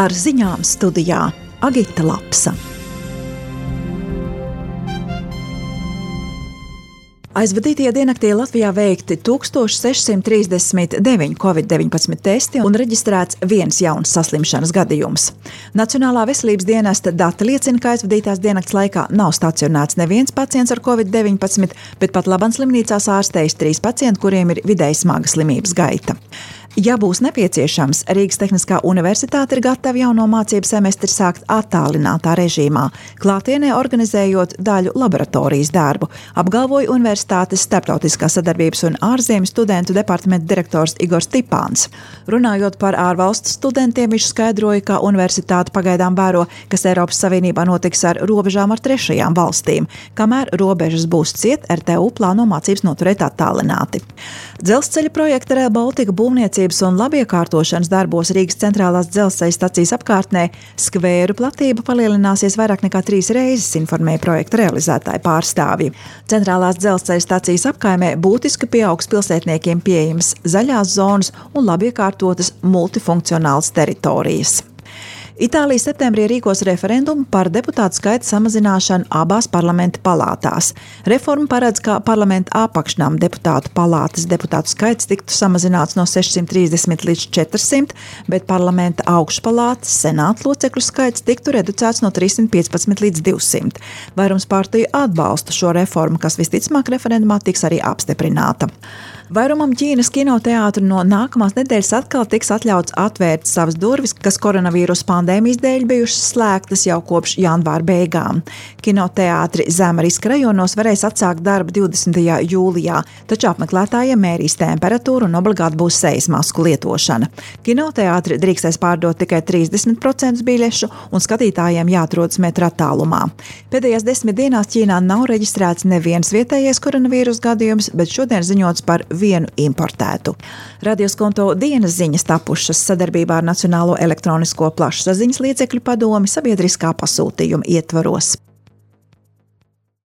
Ar ziņām studijā Agita Lapsa. Aizvadītajā diennaktī Latvijā veikti 1639 Covid-19 testi un reģistrēts viens jauns saslimšanas gadījums. Nacionālā veselības dienesta dati liecina, ka aizvadītās diennakts laikā nav stacionēts neviens pacients ar Covid-19, bet pat labāk slimnīcās ārstējas 3 pacienti, kuriem ir vidēji smaga slimības gaita. Ja būs nepieciešams, Rīgas Tehniskā universitāte ir gatava jauno mācību semestri sākt attālinātā režīmā, klātienē organizējot daļu laboratorijas darbu, apgalvoja Universitātes starptautiskās sadarbības un ārzemju studentu departamenta direktors Igors Tipāns. Runājot par ārvalstu studentiem, viņš skaidroja, ka universitāte pagaidām vēro, kas Eiropas Savienībā notiks ar robežām ar trešajām valstīm. Kamēr robežas būs ciet, RTU plāno mācības noturēt attālināti. Dzelzceļa projekta Rail Baltica būvniecības un labiekārtošanas darbos Rīgas centrālās dzelzceļa stacijas apkārtnē skvēru platība palielināsies vairāk nekā 3 reizes, informēja projekta realizētāju pārstāvji. Centrālās dzelzceļa stacijas apkaimē būtiski pieaugs pilsētniekiem pieejamas zaļās zonas un labiekārtotas multifunkcionālas teritorijas. Itālija septembrī rīkos referendumu par deputātu skaita samazināšanu abās parlamenta palātās. Reforma paredz, ka parlamenta apakšnām deputātu palātas deputātu skaits tiktu samazināts no 630 līdz 400, bet parlamenta augšpalātas senāta locekļu skaits tiktu reducēts no 315 līdz 200. Vairums partiju atbalsta šo reformu, kas visticamāk referendumā tiks arī apstiprināta. Vairumam Ķīnas kinoteātru no nākamās nedēļas atkal tiks atļauts atvērt savas durvis, kas koronavīrusa pandēmijas dēļ bijušas slēgtas jau kopš janvāra beigām. Kinoteātri zema riska rajonos varēs atsākt darbu 20. jūlijā, taču apmeklētājiem mērīs temperatūru un obligāti būs sejas masku lietošana. Kinoteātri drīkstēs pārdot tikai 30% biļešu un skatītājiem jāatrodas metra attālumā. Pēdējās 10 dienās Ķīnā nav reģistrēts neviens vietējais koronavīrusa gadījums, bet šodien ziņots par vienu importētu. Radioskonto dienas ziņas tapušas sadarbībā ar Nacionālo elektronisko plašsaziņas līdzekļu padomi sabiedriskā pasūtījuma ietvaros.